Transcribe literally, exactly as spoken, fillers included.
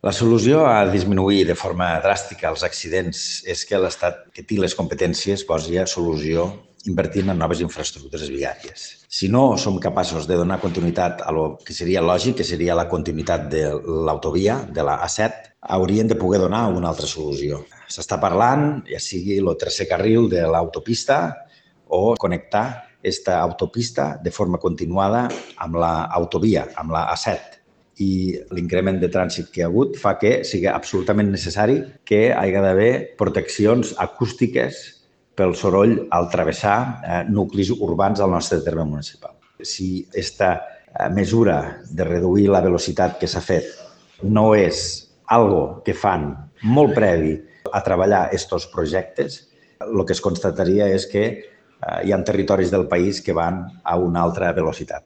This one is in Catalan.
La solució a disminuir de forma dràstica els accidents és que l'Estat, que té les competències, posi a solució invertint en noves infraestructures viàries. Si no som capaços de donar continuïtat a lo que seria lògic, que seria la continuïtat de l'autovia, de la A set, haurien de poder donar una altra solució. S'està parlant, ja sigui el tercer carril de l'autopista o connectar aquesta autopista de forma continuada amb l'autovia, amb la A set. I l'increment de trànsit que hi ha hagut fa que sigui absolutament necessari que hi hagi d'haver proteccions acústiques pel soroll al travessar eh, nuclis urbans al nostre terme municipal. Si aquesta eh, mesura de reduir la velocitat que s'ha fet no és algo que fan molt previ a treballar aquests projectes, el que es constataria és que eh, hi ha territoris del país que van a una altra velocitat.